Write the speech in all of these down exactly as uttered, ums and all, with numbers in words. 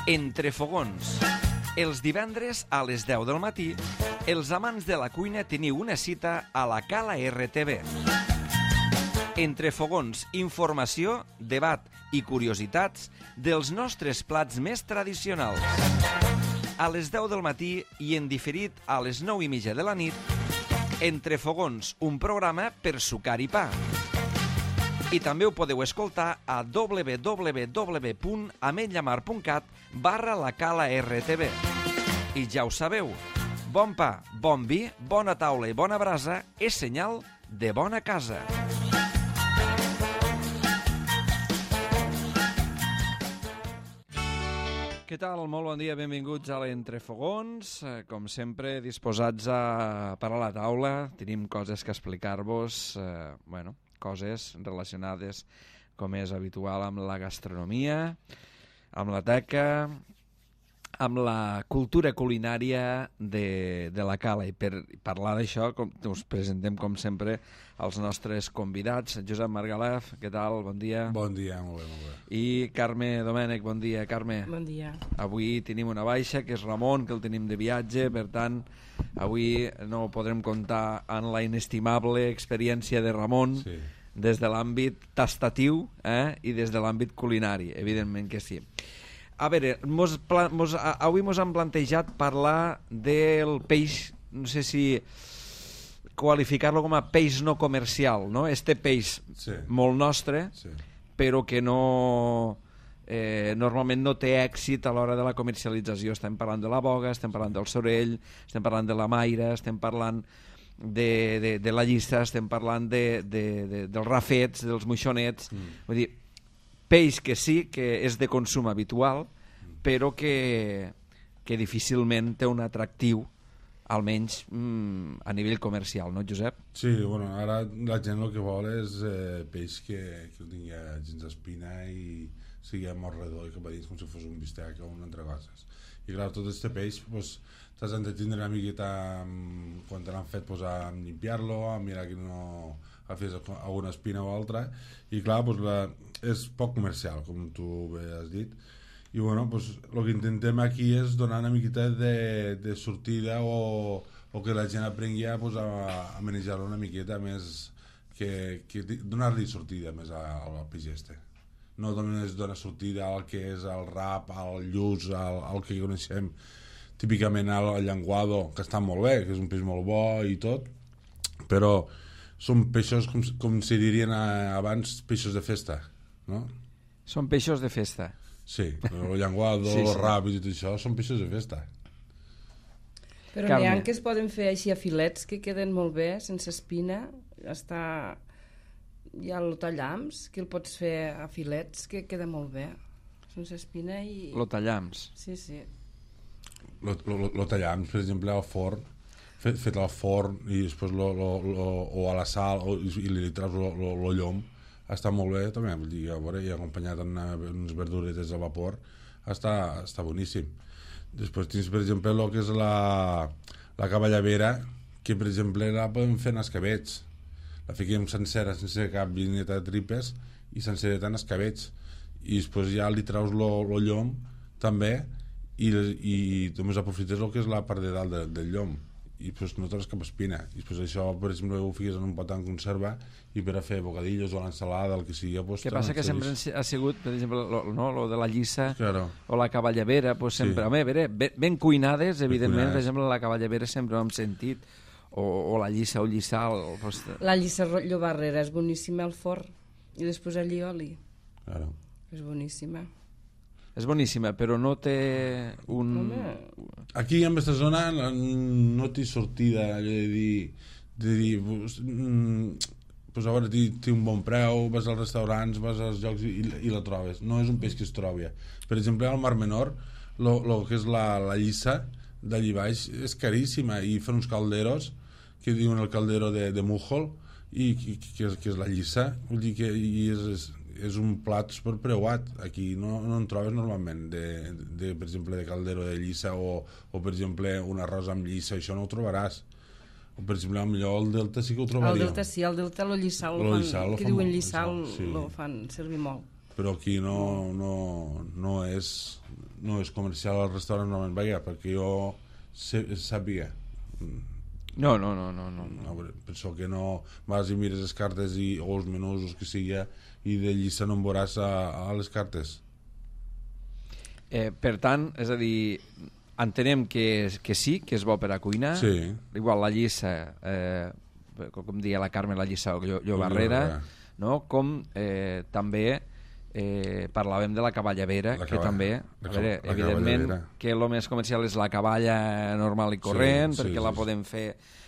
Entre fogons. Els divendres a les deu del matí, els amants de la cuina teniu una cita a la Cala R T V. Entre fogons, informació, debat i curiositats dels nostres plats més tradicionals. A les deu del matí i en diferit a les nou i mitja de la nit, Entre fogons, un programa per sucar i pa. I també ho podeu escoltar a w w w punt ametlllamar punt cat barra la Cala R T V. I ja ho sabeu, bon pa, bon vi, bona taula i bona brasa és senyal de bona casa. Què tal? Molt bon dia, benvinguts a l'Entrefogons. Com sempre, disposats a parar a la taula. Tenim coses que explicar-vos, eh, bueno, coses relacionades, com és habitual, amb la gastronomia, amb la teca, amb la cultura culinària de, de la Cala. I per parlar d'això us presentem, com sempre, els nostres convidats. Josep Margalef, què tal? Bon dia. Bon dia, molt bé, molt bé. I Carme Domènech, bon dia. Carme. Bon dia. Avui tenim una baixa, que és Ramon, que el tenim de viatge, per tant, avui no podrem comptar en la inestimable experiència de Ramon, sí, des de l'àmbit tastatiu, eh, i des de l'àmbit culinari, evidentment que sí. A veure, mos, mos, avui mos han plantejat parlar del peix, no sé si qualificar-lo com a peix no comercial, no? Este peix, sí, molt nostre, sí, però que no, eh, normalment no té èxit a l'hora de la comercialització. Estem parlant de la boga, estem parlant del sorell, estem parlant de la maira, estem parlant de, de, de la llissa, estem parlant de, de, de, dels rafets, dels moixonets, mm. vull dir, peix que sí, que és de consum habitual, però que, que difícilment té un atractiu, almenys mm, a nivell comercial, no, Josep? Sí, bueno, ara la gent el que vol és eh, peix que, que no tingui gens d'espina i sigui molt redó i que va dins com si fos un bistec o un entrecosses. I clar, tot aquest peix pues, t'has de tindre una miqueta amb, quan te l'han fet pues, a limpiar-lo, a mirar que no agafis alguna espina o altra, i clar, pues, la, és poc comercial, com tu bé has dit. I bueno, pues, el que intentem aquí és donar una miqueta de, de sortida o, o que la gent aprengui a, pues, a, a manejar-lo una miqueta més, que, que donar-li sortida més al peix este. No només donar sortida al que és el rap, al lluç, al, al que coneixem típicament al llenguado, que està molt bé, que és un peix molt bo i tot, però són peixos, com, com si dirien abans, peixos de festa, no? Són peixos de festa. Sí, el llenguado, sí, sí, el rap i tot això són peixos de festa. Però n'hi ha que es poden fer així a filets que queden molt bé, sense espina. Està... Hi ha el tallams, que el pots fer a filets, que queda molt bé, sense espina i... Lo tallams. Sí, sí. Lo, lo, lo tallams, per exemple, al forn, fet, fet al forn i després lo, lo, lo, o a la sal o, i li treus lo, lo, lo llom, està molt bé també, vull dir, a veure, i acompanyat amb unes verduretes a vapor està, està boníssim. Després tens, per exemple, el que és la, la cavallavera, que per exemple la podem fer en escabets, la fiquem sencera, sense cap vineta de tripes i sencereta en escabets, i després ja li treus lo, lo llom també i, i només aprofites el que és la part de dalt de, del llom i pues, no treus cap espina, i després això per exemple ho fiques en un pot en conserva i per a fer bocadillos o l'ensalada, el que sigui pues, que passa que sempre ha sigut per exemple lo, no, lo de la llissa, claro, o la cavallavera pues, sempre, sí, home, veure, ben, ben cuinades evidentment, ben cuinades. Per exemple la cavallavera sempre ho hem sentit, o, o la llissa o llissal pues... La llissa llobarrera és boníssima al forn i després allí oli, claro, és boníssima. És boníssima, però no té un... Home. Aquí en aquesta zona no té sortida de dir, de dir pues, pues a veure, té un bon preu, vas als restaurants, vas als llocs i, i la trobes. No és un peix que es trobi. Per exemple, al Mar Menor, lo, lo que és la, la llissa d'allí baix és caríssima i fan uns calderos que diuen el caldero de, de Mújol i que, que, és, que és la llissa. Vull dir que i és... és és un plat super preuat. Aquí no, no en trobes normalment de, de, per exemple, de caldero de llissa o, o per exemple un arròs amb llissa, això no ho trobaràs. O per exemple, millor el Delta sí que ho trobaria. El Delta sí, el Delta lo lliçal, lo fan, lliçal, que diuen lliçal, sí, lo fan servir molt. però aquí no, no, no, és, no és comercial al restaurant, no me'n vaig, perquè jo sé, sàpiga. No, no, no, no, no. no penso que no vas i mires les cartes i, o els menús, o que sigui, i de llista no en veuràs a, a les cartes. Eh, per tant, és a dir, entenem que, que sí, que és bo per a cuinar. Sí. Igual la llissa, eh, com deia la Carme, la llissa o llobarrera, no? Com eh, també eh, parlàvem de la cavallavera, la que cavall, també, a veure, la evidentment que el més comercial és la cavalla normal i corrent, sí, perquè sí, la sí, podem fer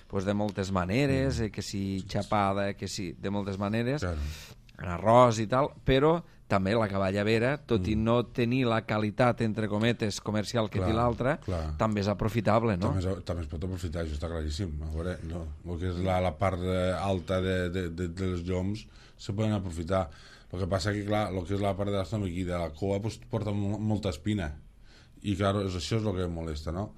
pues, de moltes maneres, mm. eh, que si xapada, que si de moltes maneres, claro. En arròs i tal, però també la cavallavera, tot mm. i no tenir la qualitat, entre cometes, comercial que clar, té l'altra, també és aprofitable, no? També es, també es pot aprofitar, això està claríssim. A veure, no? El que és la, la part alta de, de, de, de les lloms se poden aprofitar. El que passa que, clar, el que és la part de l'estómac i de la cua pues, porta molta espina. I, clar, és, això és el que molesta, no?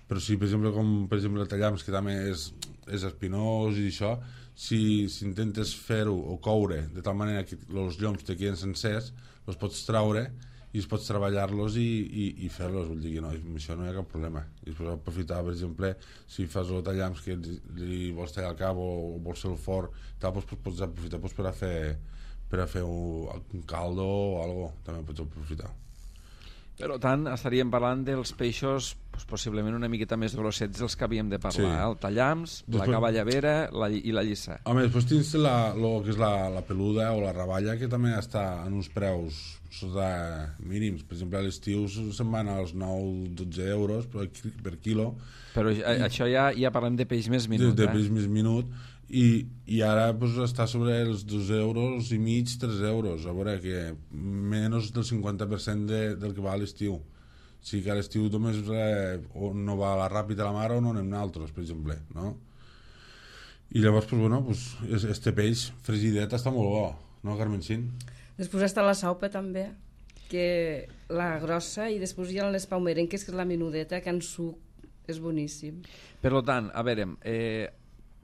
Però si, per exemple, com per exemple el tallams, que també és, és espinós i això, si, si intentes fer-ho o coure de tal manera que els lloms te queden sencers, els pots traure i pots treballar-los i, i, i fer-los, vull dir que no, amb això no hi ha cap problema. I es pot aprofitar, per exemple, si fas el tallams que li vols tallar al cap o, o vols fer el forn, tal, doncs pots aprofitar doncs, per a fer, per a fer un, un caldo o alguna cosa, també pots aprofitar. Per tant, estaríem parlant dels peixos pues, possiblement una miqueta més grossets dels que havíem de parlar, sí. eh? El tallams, després, la cavallavera la, i la llissa. Home, després tens la, lo que és la, la peluda o la raballa, que també està en uns preus sota mínims. Per exemple, a l'estiu se'n van als nou dotze euros per, per quilo. Però I, això ja, ja parlem de peix més minut. De, de eh? peix més minut. I, i ara pues, està sobre els dos euros i mig, tres euros, a veure que menys del cinquanta per cent de, del que va a l'estiu. O sigui que a l'estiu només eh, o no va a la ràpida a la mar o no anem nosaltres, per exemple, no? I llavors, pues, bueno, pues, este peix fregidet està molt bo, no, Carmencín? Després està la saupa també, que la grossa, i després hi ha les paumerenques, que és la menudeta, que en suc és boníssim. Per tant, a veure, eh,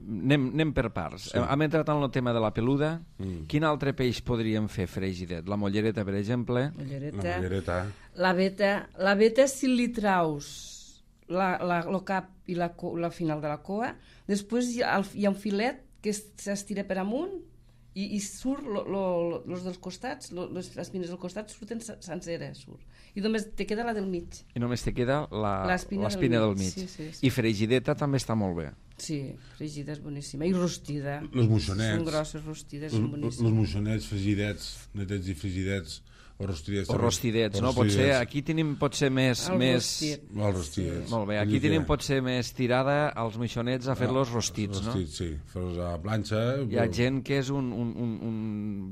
Anem, anem per parts. Sí. Hem entrat en el tema de la peluda. Mm. Quin altre peix podríem fer fregidet? La mollereta, per exemple? Mollereta. La mollereta. La veta, la veta si li traus la, la, el cap i la, la final de la cua, després hi ha, hi ha un filet que s'estira per amunt i, i surt lo, lo, los dels costats, lo, les espines del costat surten senceres, surt. I només te queda la del mig. I només te queda l'espina del, del mig. Sí, sí, sí. I fregideta també està molt bé. Sí, fregida és boníssima. I rostida. Los moixonets. Són grosses, rostides, són boníssimes. Los moixonets, fregidets, netets i frigidets, o rostidets. O rostidets, no? Potser aquí tenim potser més... El més... rostit. El rostidets. Sí. Molt bé, aquí tenim potser més tirada als moixonets a fer-los rostits, no? Rostits, sí. Fer-los a planxa. Hi ha gent que és un, un, un, un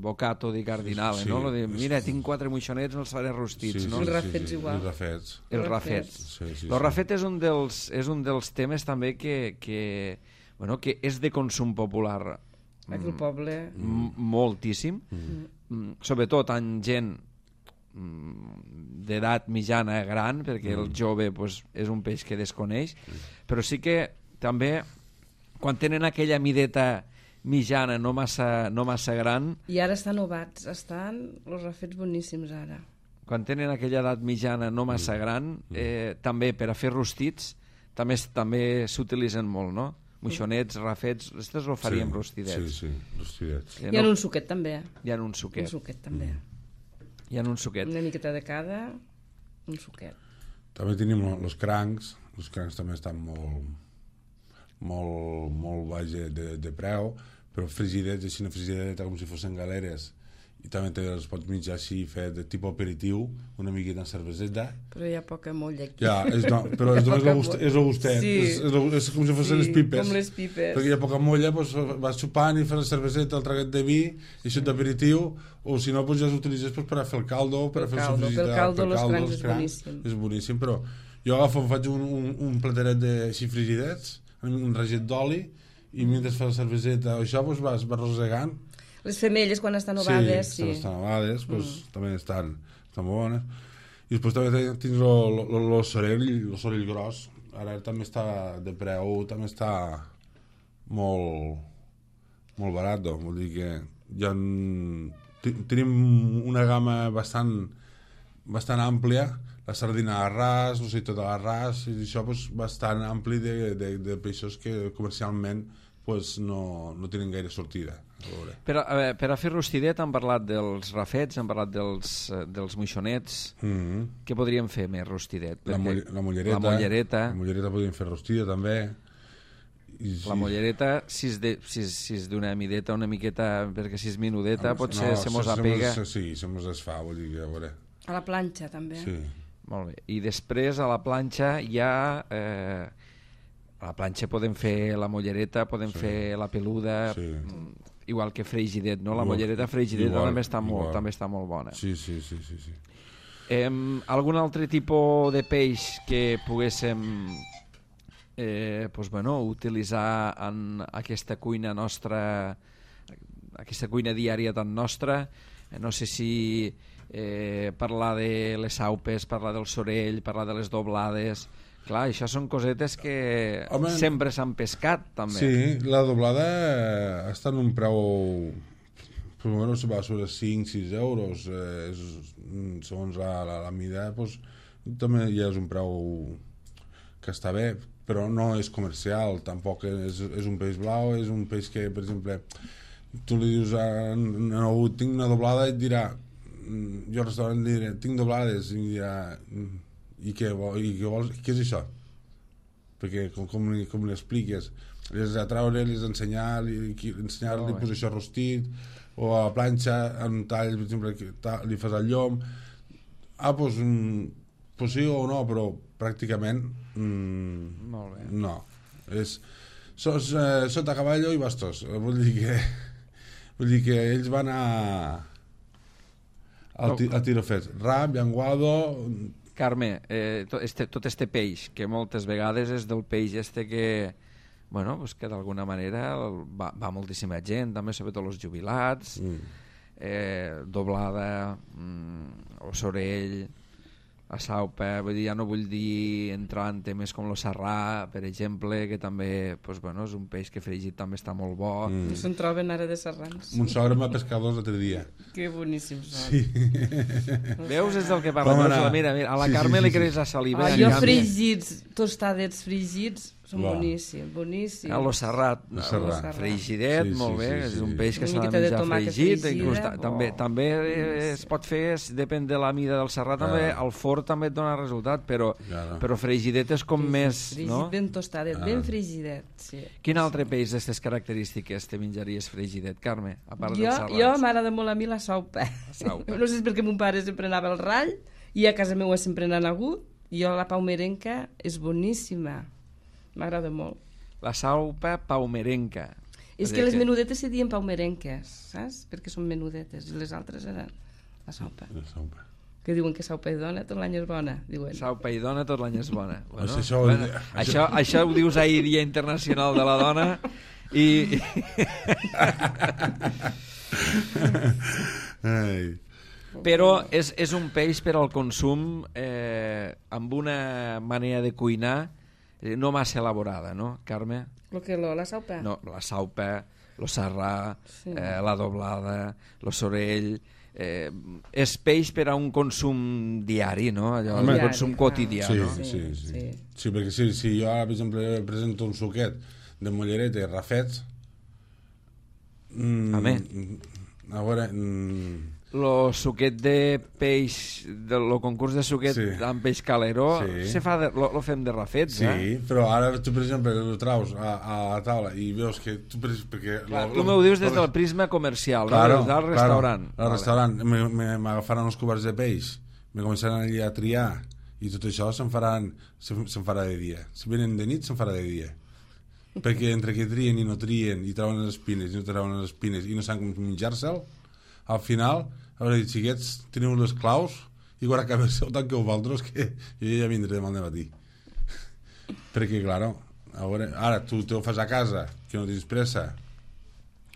bocato di cardinale, sí, no? Lo de, mira, tinc quatre moixonets, els faré rostits, sí, no? Els rafets sí, sí. igual. Els rafets. Els rafets. Sí, sí, el rafet és un dels, és un dels temes també que, que, bueno, que és de consum popular. Aquí al poble. M moltíssim. Mm. Mm. Sobretot en gent d'edat mitjana gran, perquè mm. el jove pues, és un peix que desconeix, mm. però sí que també quan tenen aquella mideta mitjana, no massa, no massa gran, i ara estan ovats, estan els rafets boníssims ara, quan tenen aquella edat mitjana no massa gran, eh, també per a fer rostits també també s'utilitzen molt, no? Moixonets, rafets, aquests ho faríem sí, rostidets. Sí, sí, rostidets. Hi ha no, un suquet també. Hi ha un suquet. Un suquet també. Mm. Hi ha un suquet. Una miqueta de cada, un suquet. També tenim els crancs, els crancs també estan molt, molt, molt baix de, de preu, però frigidets, així una frigideta com si fossin galeres, i també te els pots mitjar així, fer de tipus aperitiu, una miqueta de cerveseta. Però hi ha poca molla aquí. Ja, és, no, però és, és, gust, és el gustet, sí. és, és, és com si fossin sí, les pipes. Com les pipes. Perquè hi ha poca molla, doncs vas xupant i fas la cerveseta, el traguet de vi, i això d'aperitiu, o si no, doncs ja s'utilitzes doncs, per a fer el caldo, per a fer caldo, el pel caldo, els crancs és boníssim. És boníssim, però jo agafo, faig un, un, un plateret de així frigidets, un raget d'oli, i mentre fas la cerveseta o això, doncs vas, vas rosegant. Les femelles, quan estan ovades, sí. Sí, quan estan ovades, doncs, mm. també estan, estan bones. I després també tens el sorell, el sorell gros. Ara també està de preu, també està molt, molt barat. Vull dir que hi ha tenim una gamma bastant, bastant àmplia, la sardina a ras, o sigui, tota la ras, i això pues, bastant ampli de, de, de peixos que comercialment pues, no, no tenen gaire sortida. Per a, a, per a fer rostidet hem parlat dels rafets, hem parlat dels, dels moixonets. Mm-hmm. Què podríem fer més rostidet? La, moll la mollereta. La mollereta. La mollereta podríem fer rostida també. I, la mollereta, si és, de, si, és, si és d'una mideta, una miqueta, perquè si és minudeta, no, potser no, se mos se, apega. Se, sí, se mos desfà, vull dir, a veure. A la planxa també. Sí. Molt bé. I després a la planxa hi ha... Eh, a la planxa podem fer la mollereta, podem sí. fer la peluda... Sí. Igual que freigidet, no? La mollereta freigidet també, està molt, també està molt bona. Sí, sí, sí. sí, sí. Eh, algun altre tipus de peix que poguéssim eh, pues, bueno, utilitzar en aquesta cuina nostra, aquesta cuina diària tan nostra? Eh, no sé si eh, parlar de les saupes, parlar del sorell, parlar de les doblades... Clar, això són cosetes que Home, sempre s'han pescat, també. Sí, la doblada està en un preu... Primero se va sobre cinc a sis euros. Eh, és, segons la, la, la mida, pues, també ja és un preu que està bé, però no és comercial, tampoc és, és un peix blau, és un peix que, per exemple, tu li dius a algú, tinc una doblada, i et dirà, jo al restaurant diré, tinc doblades, i dirà... I què, i què vols? Què és això? Perquè com, com, com li expliques? Les a treure, les a ensenyar, li, ensenyar-li, oh, pues, això rostit, o a la planxa, en un tall, per exemple, li fas el llom. Ah, doncs, pues, pues sí o no, però pràcticament mm, molt bé. No. És, sos, eh, sota cavallo i bastos. Vull dir que, vull dir que ells van a, a, a tirofets. Rap, llenguado... Carme, eh, tot, este, tot este peix, que moltes vegades és del peix este que, bueno, pues que d'alguna manera va, va moltíssima gent, també sobretot els jubilats, mm. eh, doblada, mm, o sorell, a saupa, vull dir, ja no vull dir entrar en temes com el sarrà, per exemple, que també, pues, bueno, és un peix que fregit també està molt bo. Mm. No se'n troben ara de sarrans. Mon sogre m'ha pescat dos l'altre dia. Que boníssims són. Sí. Veus, és del que parla. Mira, mira, a la sí, Carme sí, sí, li creix la saliva. Ah, jo fregits, tostadets fregits, són wow. boníssims, boníssims. A lo serrat, lo serrat. Freigidet, sí, molt sí, bé, sí, sí. És un peix que s'ha de menjar fregit. Inclús, oh. també, també es pot fer, depèn de la mida del serrat, també al forn també et dona resultat, però, claro. però freigidet és com fregit, més... Fregit no? ben tostadet, ah. ben freigidet, sí. Quin altre peix d'aquestes característiques te menjaries freigidet, Carme? A part jo, dels serrats. Jo m'agrada molt a mi la saupa. La saupa. No sé si és perquè mon pare sempre anava al rall, i a casa meva sempre n'han hagut, i jo la paumerenca és boníssima. M'agrada molt. La saupa paumerenca. És que les menudetes se diuen paumerenques, saps? Perquè són menudetes, i les altres eren la saupa. La saupa. Que diuen que saupa i dona tot l'any és bona, diuen. Saupa i dona tot l'any és bona. Bueno, això, això, bueno, això, això ho dius ahir, Dia Internacional de la Dona, i... Ai... Però és, és un peix per al consum eh, amb una manera de cuinar eh, no massa elaborada, no, Carme? Lo que lo, la saupa? No, la saupa, lo sarrà, sí. eh, la doblada, lo sorell... Eh, és peix per a un consum diari, no? Allò, un diari, consum quotidià, sí, no? Sí, sí, sí. sí. sí perquè si, si jo ara, per exemple, presento un suquet de mollereta i rafets... Mm, a més... A veure... Mm, lo suquet de peix, del concurs de suquet sí. amb peix caleró, sí. se fa de, lo, lo fem de rafets, sí, eh? Sí, però ara tu, per exemple, ho traus a, a la taula i veus que tu... Perquè clar, lo, tu m'ho dius des del prisma comercial, claro, no? Del restaurant. Claro, al restaurant m'agafaran els coberts de peix, me començaran allà a triar i tot això se'n faran, se'n se farà de dia. Si venen de nit, se'n farà de dia. Perquè entre que trien i no trien i trauen les espines i no trauen les espines i no saben com menjar-se'l, al final... A veure, xiquets, teniu les claus i quan acabeu tant que vosaltres que jo ja vindré demà al matí. Perquè, claro, a veure, ara tu te ho fas a casa, que no tens pressa.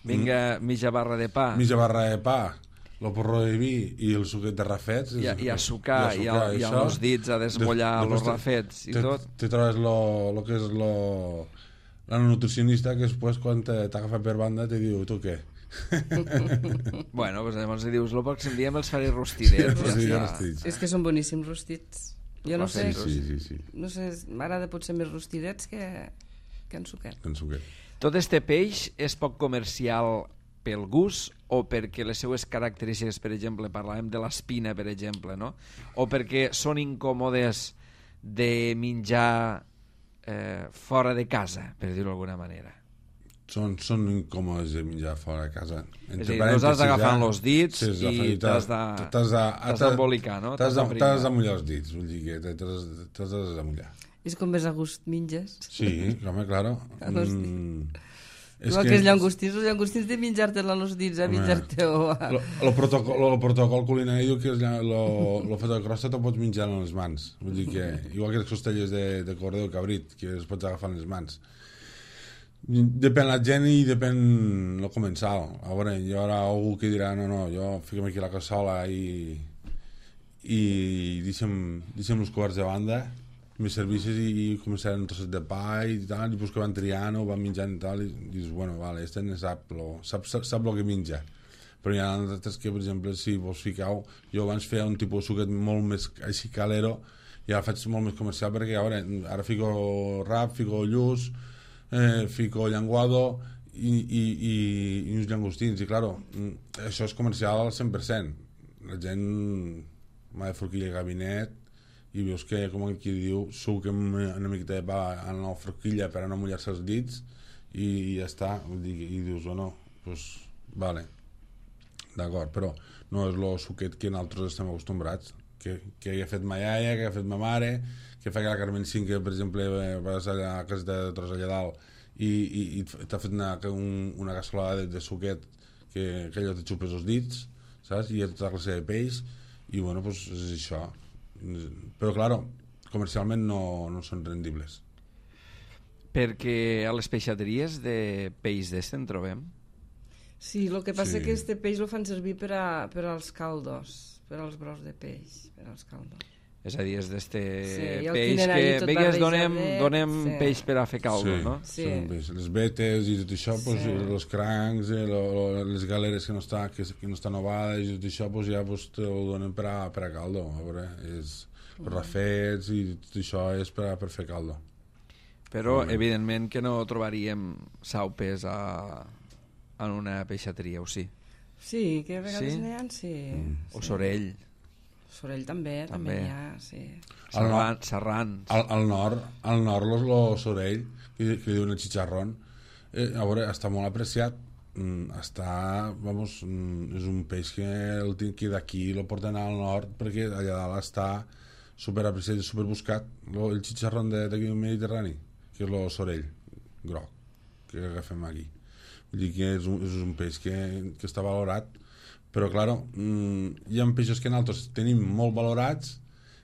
Vinga, mitja barra de pa. Mitja barra de pa, el porró de vi i el suquet de rafets. I, i a sucar, i, a, i amb els dits a desmollar els rafets i te, tot. Te trobes lo, lo que és lo, la nutricionista que després quan t'agafa per banda te diu, tu què? Bueno, doncs llavors li dius, el pròxim dia me'ls faré rostidets. Sí, ja rostits. És que són boníssims rostits. Jo no sé, sí, sí, sí. no sé, m'agrada potser més rostidets que, que en suquet. En suquet. Tot este peix és poc comercial pel gust o perquè les seues característiques, per exemple, parlàvem de l'espina, per exemple, no? O perquè són incòmodes de menjar eh, fora de casa, per dir-ho d'alguna manera. Són, són incòmodes de menjar fora de casa. Entre és a dir, no has d'agafar amb els dits sí, i t'has d'embolicar, no? T'has d'amullar els dits, vull dir que t'has d'amullar. És com més a gust menges. Sí, home, claro. Mm, és que, que els llangostins, els llangostins de menjar-te-la als dits, a menjar-te-ho... El protocol, protocol culinari diu que el fet de crosta te'l pots menjar en les mans. Vull dir que, igual que les costelles de, de cordó o cabrit, que els pots agafar en les mans. Depèn la gent i depèn el comensal. A veure, hi haurà algú que dirà no, no, jo fiquem aquí la cassola i i deixem, deixem els coberts de banda, me servisses i, i començarem un trosset de pa i tal, i pues que van triant o van menjant i tal, i dius, bueno, vale, este ne sap lo, sap, sap, sap lo que menja. Però hi ha altres que, per exemple, si vos ficau, jo abans feia un tipus de suquet molt més així calero i ara faig molt més comercial perquè, a veure, ara fico rap, fico lluç, Eh, fico llenguado i, i, i, i uns llangostins i claro, això és comercial al cent per cent. La gent m'ha de forquilla i gabinet i veus que, com aquí diu, suquem una miqueta de pa en la forquilla per a no mullar-se els dits i, i ja està, i dius, bueno, pues, vale, d'acord, però no és el suquet que nosaltres estem acostumbrats, que, que ha fet ma iaia, que ha fet ma mare, que fa que la Carmen Cinc, que per exemple vas a la casa de Tros allà dalt i, i, i t'ha fet una, un, una cassolada de, de suquet que, que allò te xupes els dits, saps? I hi ha tota classe de peix i bueno, pues és això. Però claro, comercialment no, no són rendibles. Perquè a les peixateries de peix d'este en trobem? Sí, el que passa sí. que este peix el fan servir per, a, per als caldos, per als brous de peix, per als caldos. És a dir, és d'este sí, peix que vegues donem, donem sí. peix per a fer caldo, sí, no? Sí. Les vetes i tot això, pues, sí. els crancs, eh, lo, lo, les galeres que no estan que, que no estan ovades i tot això, pues, ja pues, te ho donen per a, per a caldo. A veure, és mm. rafets i tot això és per, a, per fer caldo. Però, sí. evidentment, que no trobaríem saupes a, en una peixateria, o sí? Sí, que a vegades sí? n'hi ha, sí. Mm. O sorell. Sorell també, també, també hi ha, sí. Serran, serrans. Al, al nord, al nord el sorell, que, que diuen el xicharrón, eh, a veure, està molt apreciat, mm, està, vamos, mm, és un peix que, el, que d'aquí el porten al nord perquè allà dalt està super apreciat i super buscat, lo, el xicharrón d'aquí del Mediterrani, que és el sorell groc que agafem aquí. Vull dir que és un, és un peix que, que està valorat. Però, clar, mmm, hi ha peixos que nosaltres tenim molt valorats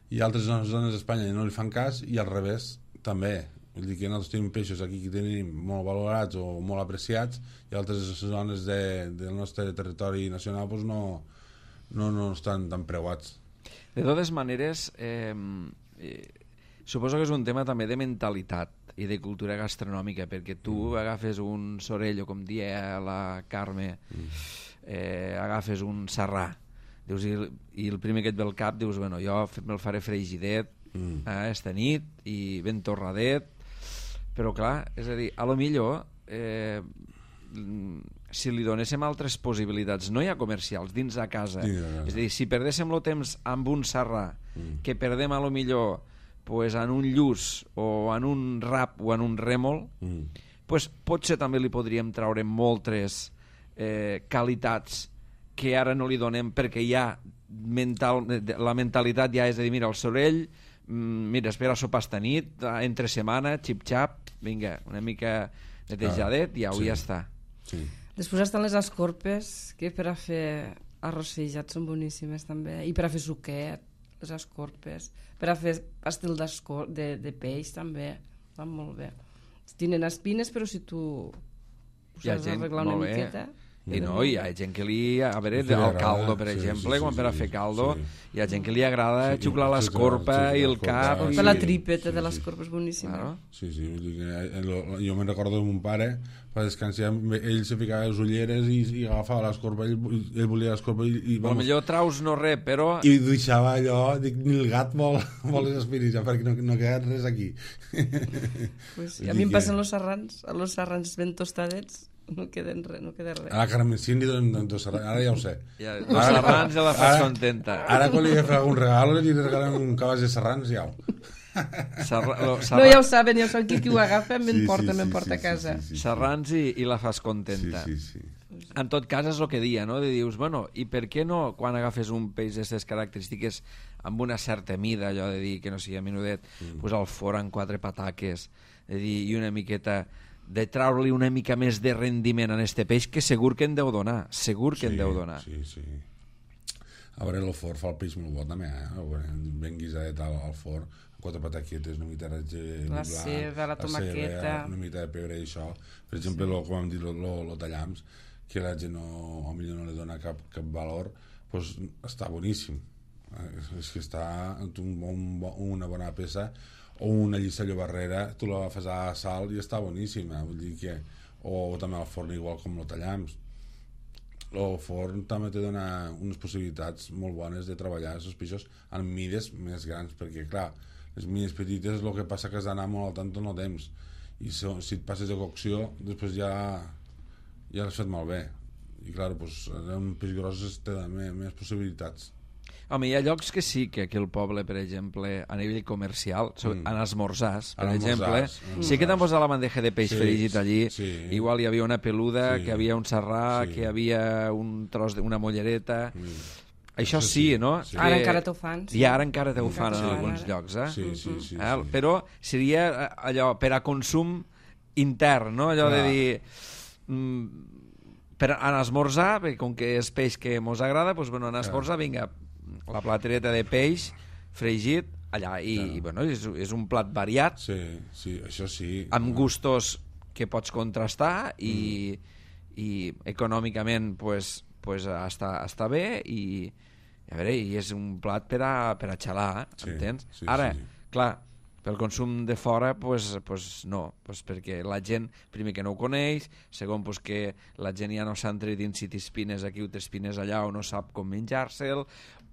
i altres zones d'Espanya no li fan cas i al revés també. Vull dir que nosaltres tenim peixos aquí que tenim molt valorats o molt apreciats i altres zones de, del nostre territori nacional pues, no, no, no estan tan preuats. De totes maneres, eh, eh, suposo que és un tema també de mentalitat i de cultura gastronòmica, perquè tu mm. agafes un sorell o com dia la Carme... Mm. Eh, agafes un serrà dius, i, i el primer que et ve al cap dius, bueno, jo me'l faré fregidet mm. eh, esta nit i ben torradet, però clar, és a dir, a lo millor eh, si li donéssim altres possibilitats, no hi ha comercials dins de casa, sí, és a dir, si perdéssim el temps amb un serrà mm. que perdem a lo millor pues, en un lluç o en un rap o en un rèmol mm. pues, potser també li podríem treure moltes Eh, qualitats que ara no li donem perquè ja mental, la mentalitat ja és de dir, mira, el sorell mm, mira, espera sopar esta nit entre setmana, xip-xap vinga, una mica netejadet i ja, sí. ja està sí. Després estan les escorpes que per a fer arrossejats són boníssimes també i per a fer suquet, les escorpes per a fer pastel de, de peix també, van molt bé tenen espines però si tu ho saps arreglar una miqueta I no, hi ha gent que li... A veure, el caldo, per exemple, quan per a fer caldo, hi ha gent que li agrada xuclar l'escorpa i el cap... Per la tripeta de l'escorpa és boníssima. Sí, sí, jo me'n recordo de mon pare, per descansar, ell se ficava les ulleres i agafava l'escorpa, ell volia l'escorpa i... Potser traus no res, però... I deixava allò, dic, ni el gat vol les espines, ja, perquè no queda res aquí. A mi em passen els serrans, els serrans ben tostadets, no queden res, no queda res. Ara Carmen Cindy, doncs, ara ja ho sé. Ja, los serrans ja la fas contenta. Ara quan li he fet algun regal i li regalen un cabàs de serrans, ja ho. Serra, lo, serra... No, ja ho saben, ja ho saben qui, qui ho agafa, m'emporta, sí, sí, m'emporta sí, a casa. Sí, sí, sí, serrans i, i la fas contenta. Sí, sí, sí. En tot cas és el que dia, no? De dius, bueno, i per què no, quan agafes un peix d'aquestes característiques amb una certa mida, allò de dir que no sigui menudet, mm. pues el fora en quatre pataques, de dir, i una miqueta de treure-li una mica més de rendiment en este peix, que segur que en deu donar, segur que sí, en deu donar. Sí, sí. A veure, el forn fa el peix molt bo també, eh? Ben guisadet al, al forn, quatre pataquetes, una mica de la ceba, la tomaqueta, una mica de pebre i això. Per exemple, sí. lo, com hem dit, el tallams, que la gent no, o millor no li dona cap, cap valor, pues està boníssim. És que està un, un, una bona peça, o una lliça llobarrera, tu la fas a sal i està boníssima, vull dir que... O també al forn igual com el tallams. El forn també te dona unes possibilitats molt bones de treballar els peixos en mides més grans, perquè clar, les mides petites el que passa que has d'anar molt al tant en el temps, i si, si et passes de cocció després ja ja l'has fet malbé, i clar, doncs, un peix gros te dona més, més possibilitats. Home, hi ha llocs que sí, que aquí al poble, per exemple, a nivell comercial, mm. en esmorzars, per en exemple, esmorzars, sí que t'han posat la bandeja de peix sí, fregit allí, sí. Igual hi havia una peluda, sí. Que havia un serrà, sí. Que hi havia un tros d'una mollereta... Mm. Això sí, sí, no? Sí. Ara encara t'ho fan. Sí. I ara encara t'ho fan en alguns llocs, eh? Sí, sí, sí, eh? Sí. Però seria allò per a consum intern, no? Allò Clar. De dir... Mm, per en esmorzar, perquè com que és peix que mos agrada, doncs, bueno, en esmorzar, vinga, la platereta de peix fregit allà, i, i bueno, és, és un plat variat, sí, sí, això sí, amb gustos que pots contrastar i, mm. i econòmicament pues, pues està, està bé i, a veure, i és un plat per a, per a xalar, sí, entens? Sí, ara, sí. Clar, pel consum de fora, pues, pues no, pues perquè la gent, primer que no ho coneix, segon pues que la gent ja no s'ha entredint si t'espines aquí o t'espines allà o no sap com menjar-se'l,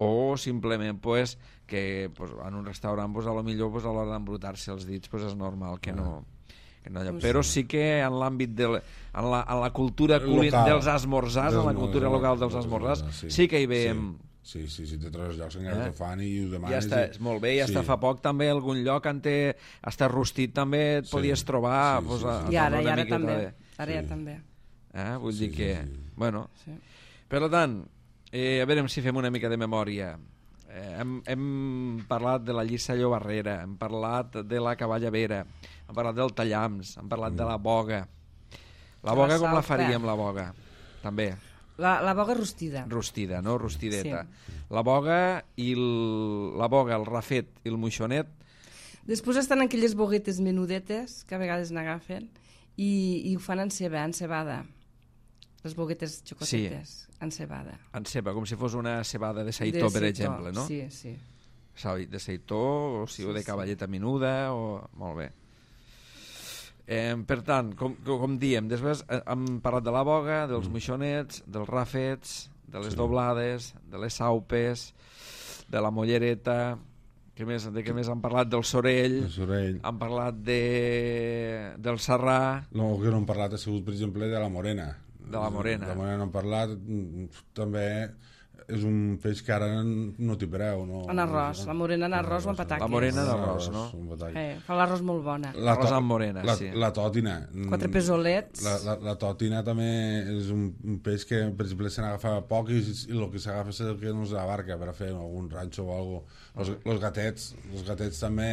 o simplement pues, que pues, en un restaurant pues, a lo millor pues, a l'hora d'embrutar-se els dits pues, és normal que no... Que no pues però sí que en l'àmbit de la, en, la, en la cultura local, dels esmorzars, en la cultura local dels esmorzars, sí, sí que hi veiem... Sí. Sí, sí, sí, té tres llocs encara eh? T'ho fan i ho demanes. Ja està, i... molt bé, i hasta sí. Fa poc també algun lloc on te, hasta rostit també et sí. Podies trobar. Sí, pues, sí, sí. A, I ara, i ara també. Ara sí. Ja també. Eh? Vull sí, dir que... Sí, sí. Bueno, sí. Per tant, eh, a veure si fem una mica de memòria. Eh, hem, hem parlat de la llissa llobarrera, hem parlat de la cavallavera, hem parlat del tallams, hem parlat mm. de la boga. La boga la com la faríem, la boga? També. La, la boga rostida. Rostida, no? Rostideta. Sí. La boga i el, la boga, el rafet i el moixonet. Després estan aquelles boguetes menudetes que a vegades n'agafen i, i ho fan en ceba, en cebada. Les boguetes xocotetes, sí. En cebada. En ceba, com si fos una cebada de seitó, de per seitó, exemple, no? Sí, sí. De seitó, o, si, sí, o de cavalleta sí. Menuda, o... Molt bé. Eh, per tant, com, com diem, després hem parlat de la boga, dels mm. moixonets, dels rafets, de les sí. Doblades, de les saupes, de la mollereta, que més, de què més han parlat? Del sorell, el sorell. Han parlat de, del serrà... No, que no han parlat ha sigut, per exemple, de la morena. De la morena. De la morena no han parlat, també... És un peix que ara no t'hi preu. No, en arròs, la morena en arròs o en pataques. La morena en arròs, no? Eh, fa l'arròs molt bona. L'arròs amb morena, la, sí. La tòtina. Quatre pesolets. La, la, la tòtina també és un, un peix que, per exemple, se n'agafa poc i, i el que s'agafa és el que no s'abarca per a fer algun ranxo o alguna cosa. Los, los gatets, els gatets també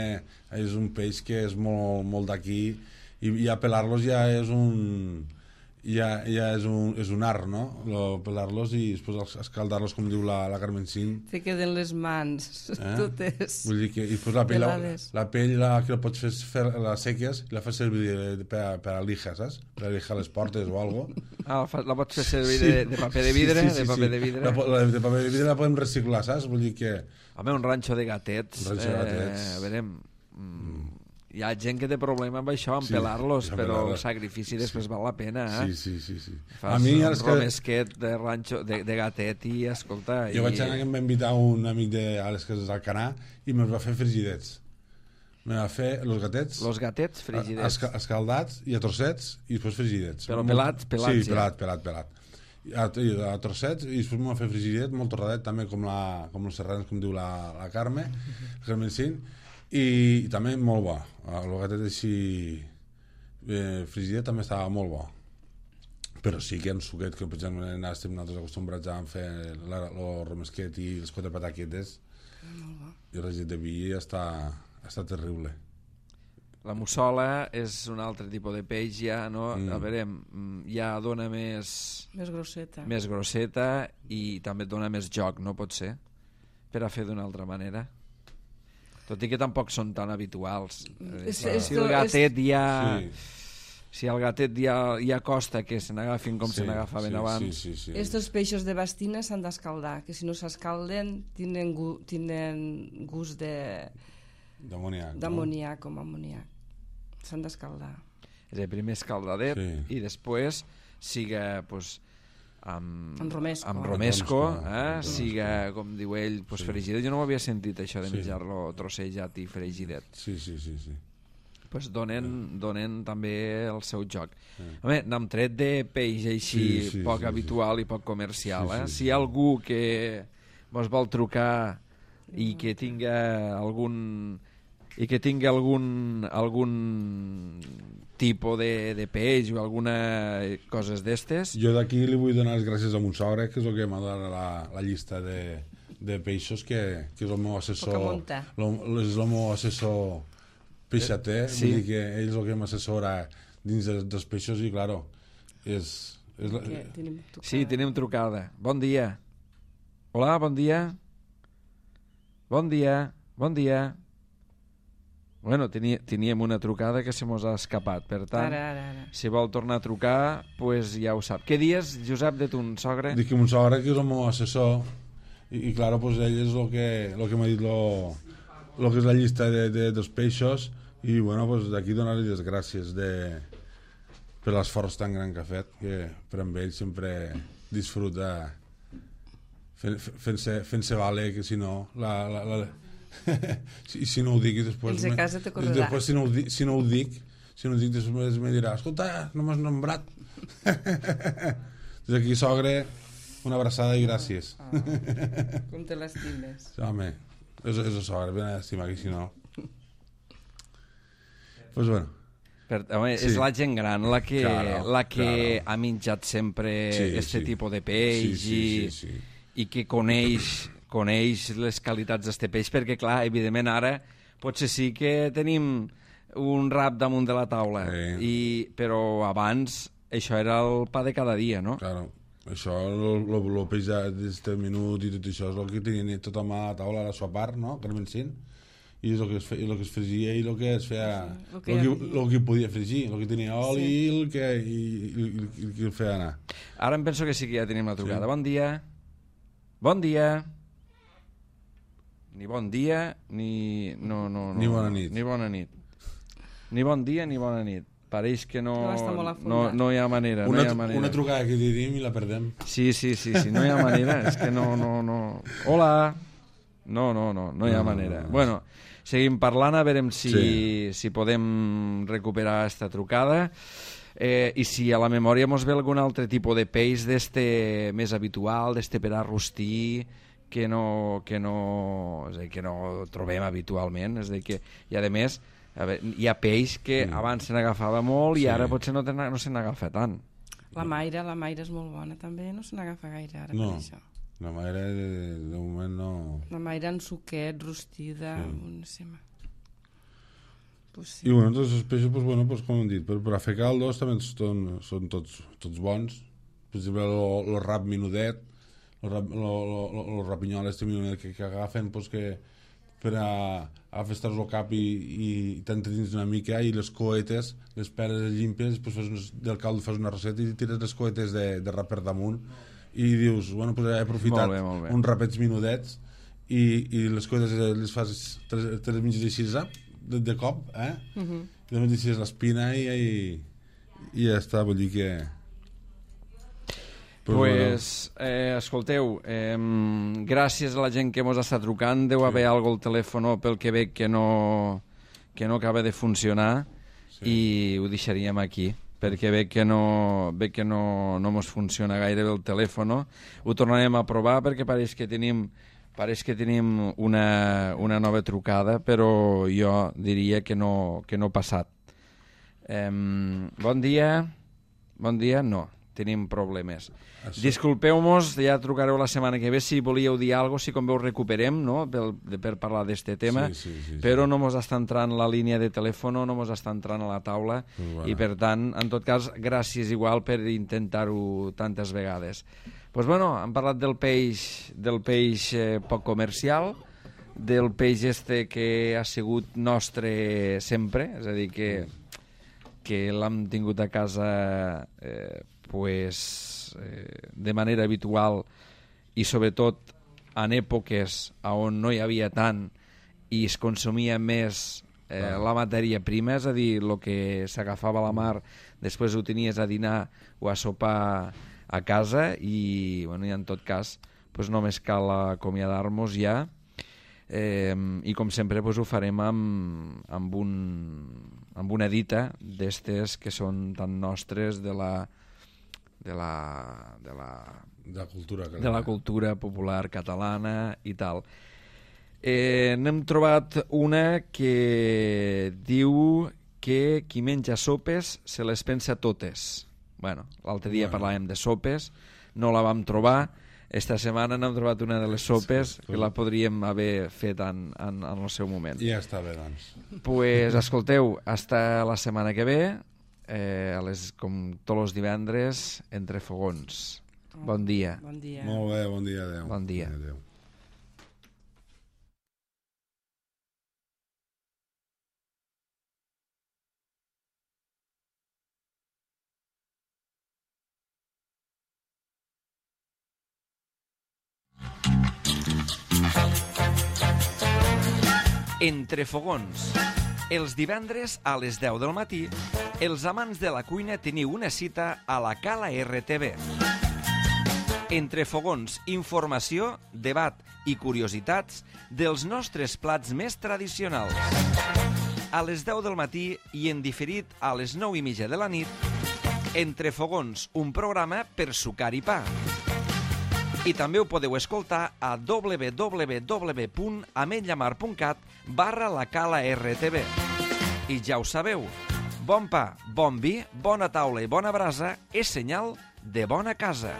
és un peix que és molt, molt d'aquí i, i a pelar-los ja és un... ja, ja és, un, és un art, no? Lo, pelar-los i després escaldar-los, com diu la, la Carmencín. Te queden les mans, eh? totes. Vull dir que i després la pell, la, la pell la, que la pots fer, fer la seques i la fas servir de, de, per, per a lijar, saps? Per a lijar les portes o algo. Ah, la, la pots fer servir sí. de, de paper de vidre? Sí, sí, sí, de paper sí. de vidre. La, la, de paper de vidre la podem reciclar, saps? Vull dir que... Home, un ranxo de gatets. Un ranxo de gatets. Eh, a veure... Mm. Hi ha gent que té problema amb això, amb sí, pelar-los, però pelar el sacrifici després sí. val la pena, eh? Sí, sí, sí. sí. Fas a mi, un que... romesquet de, ranxo, de, de gatet i, escolta... Jo i... vaig anar que em va invitar un amic de a les cases d'Alcanar i me'ls va fer frigidets. Me va fer els gatets... Los gatets frigidets. Esca, escaldats i a trossets i després frigidets. Però pelats, pelats, sí, pelat, pelat, pelat. A, a trossets i després m'ho va fer frigidet, molt torradet, també com, la, com els serrans, com diu la, la Carme, Carmencín. I, i també molt bo el gatet així eh, frigidet també estava molt bo, però sí que en suquet, que per exemple estem nosaltres acostumbrats a fer el romesquet i les quatre pataquetes i el regit de vi està, està terrible. La mussola és un altre tipus de peix ja, no? Mm. A veure, ja dona més més grosseta més grosseta i també dona més joc, no pot ser? Per a fer d'una altra manera. Tot i que tampoc són tan habituals. És, si, és, si el gatet ja... Sí. Si el gatet ja, ja costa que se n'agafin com sí, se n'agafaven sí, abans... Sí, sí, sí. Estos peixos de bastina s'han d'escaldar, que si no s'escalden tenen, gu, tenen gust de... D'amoniac. D'amoniac, no? Com amoniac. S'han d'escaldar. És el primer escaldadet sí. i després siga... Pues, amb, amb romesco, amb romesco eh? siga, com diu ell, pues, sí. fregidet. Jo no ho havia sentit, això de menjar-lo sí. trossejat i fregidet. Sí, sí, sí, sí. Pues donen, sí. donen també el seu joc. Sí. Home, n'hem tret de peix així sí, sí, poc sí, habitual sí. i poc comercial. Eh? Sí, sí, si hi ha algú que vos vol trucar i que tinga algun i que tingui algun algun tipus de, de peix o alguna coses d'estes. Jo d'aquí li vull donar les gràcies a mon sogre, que és el que m'ha donat la, la llista de, de peixos, que, que és el meu assessor, lo, és el meu assessor peixater, sí. Vull dir que ell és el que m'assessora dins de, dels peixos i, claro, és... és la... tenim sí, tenim trucada. Bon dia. Hola, bon dia. Bon dia, bon dia. Bueno, tenia, teníem una trucada que se mos ha escapat, per tant, ara, ara, ara. si vol tornar a trucar, pues ja ho sap. Què dies, Josep, de ton sogre? Dic que mon sogre, que és el meu assessor, i, i claro, pues ell és el que, lo que m'ha dit lo, lo que és la llista de, de, dels peixos, i bueno, pues d'aquí donar-li les gràcies de, per l'esforç tan gran que ha fet, que per amb ell sempre disfruta fent-se fent vale, que si no la... la, la si, si no ho dic i després, me, després si, no ho dic, si no ho dic si no ho dic després me dirà escolta, no m'has nombrat. Des d'aquí, sogre, una abraçada i gràcies. Oh, com te l'estimes. Home, és, és el sogre, ben estimar, que si no pues bueno per, home, sí. És la gent gran la que, claro, la que claro. ha menjat sempre sí, este sí. tipus de peix sí, sí, i, sí, sí. i que coneix coneix les qualitats d'este peix, perquè clar, evidentment ara potser sí que tenim un rap damunt de la taula, sí. I, però abans això era el pa de cada dia, no? Claro, això, el peix d'este minut i tot això és el que tenien tothom a la taula a la sua part, no? Carmencín, i és el que es, fe, el que es fregia i el que es feia, sí, el, que el, que, el que podia fregir, el que tenia oli sí. i el que, i, i, i, el que el feia anar. Ara em penso que sí que ja tenim la trucada. Sí. Bon dia. Bon dia. Ni bon dia, ni... No, no, no, ni bona nit. Ni bona nit. Ni bon dia, ni bona nit. Pareix que no, no, no, no hi ha manera. Una, no hi ha manera. Una trucada que tenim i la perdem. Sí, sí, sí, sí, no hi ha manera. És que no, no, no... Hola! No, no, no, no hi ha no, manera. No, no. Bueno, seguim parlant, a veure si, sí. si podem recuperar esta trucada. Eh, I si a la memòria mos ve algun altre tipus de peix d'este més habitual, d'este per a rostir... que no, que no, és a dir, que no trobem habitualment, és a dir, que, i a més a veure, hi ha peix que mm. abans se n'agafava molt i sí. ara potser no, no se n'agafa tant. La maira, la maira és molt bona també, no se n'agafa gaire ara no. per això. La maira de, de moment no... La maira en suquet, rostida, sí. no sé, Pues sí. I bueno, tots els peixos, pues, bueno, pues, com hem dit, per, per a fer caldos també són, són tots, tots bons. Per exemple, el rap minudet, el rap, lo, lo, lo, lo rapinyol este minudet que, que agafen, pues, que per a, a festar-los el cap i, i t'entretins una mica, i les coetes, les peres llimpes, pues, fas unes, del caldo fas una receta i tires les coetes de, de rap per damunt i dius, bueno, pues, he aprofitat molt bé, molt bé. uns rapets minudets i, i les coetes les fas, te les, te les menges així, de, de cop, eh? Uh -huh. I també deixes l'espina i, i, i ja està, vull dir que... Pues, pues eh, escolteu, eh, gràcies a la gent que mos està trucant, deu haver sí. algo al telèfon pel que veig que no, que no acaba de funcionar, sí. i ho deixaríem aquí, perquè veig que no, veig que no, no mos funciona gaire bé el telèfon. Ho tornarem a provar perquè pareix que tenim... Pareix que tenim una, una nova trucada, però jo diria que no, que no ha passat. Um, bon dia. Bon dia, no. Tenim problemes. Això... Disculpeu-mos, ja trucareu la setmana que ve si volíeu dir alguna cosa, si com veu recuperem, no?, per, per parlar d'aquest tema, sí, sí, sí, però sí. no mos està entrant la línia de telèfon, no mos està entrant a la taula, bueno. I per tant, en tot cas, gràcies igual per intentar-ho tantes vegades. Pues bueno, hem parlat del peix, del peix eh, poc comercial, del peix este que ha sigut nostre sempre, és a dir, que, que l'hem tingut a casa eh, pues, eh, de manera habitual i sobretot en èpoques on no hi havia tant i es consumia més eh, la matèria prima, és a dir, el que s'agafava a la mar, després ho tenies a dinar o a sopar a casa i, bueno, i en tot cas pues, només cal acomiadar-nos ja, eh, i com sempre pues, ho farem amb, amb, un, amb una dita d'estes que són tan nostres de la de la, de la, de la, cultura, de la cultura popular catalana i tal. Eh, n'hem trobat una que diu que qui menja sopes se les pensa totes. Bueno, l'altre dia bueno. parlàvem de sopes, no la vam trobar. Esta setmana n'hem trobat una de les sopes sí, que la podríem haver fet en, en, en el seu moment. Ja està bé, doncs. Pues, escolteu, hasta la setmana que ve, eh, a les, com tots els divendres, entre fogons. Bon dia. Bon dia. Molt bé, bon dia, adeu. Bon dia. Adeu. Entre fogons. Els divendres a les deu del matí, els amants de la cuina teniu una cita a la Cala R T V. Entre fogons, informació, debat i curiositats dels nostres plats més tradicionals. A les deu del matí i en diferit a les nou i mitja de la nit, Entre fogons, un programa per sucar i pa. I també ho podeu escoltar a w w w punt ametlllamar punt cat barra la Cala R T V. I ja ho sabeu, bon pa, bon vi, bona taula i bona brasa és senyal de bona casa.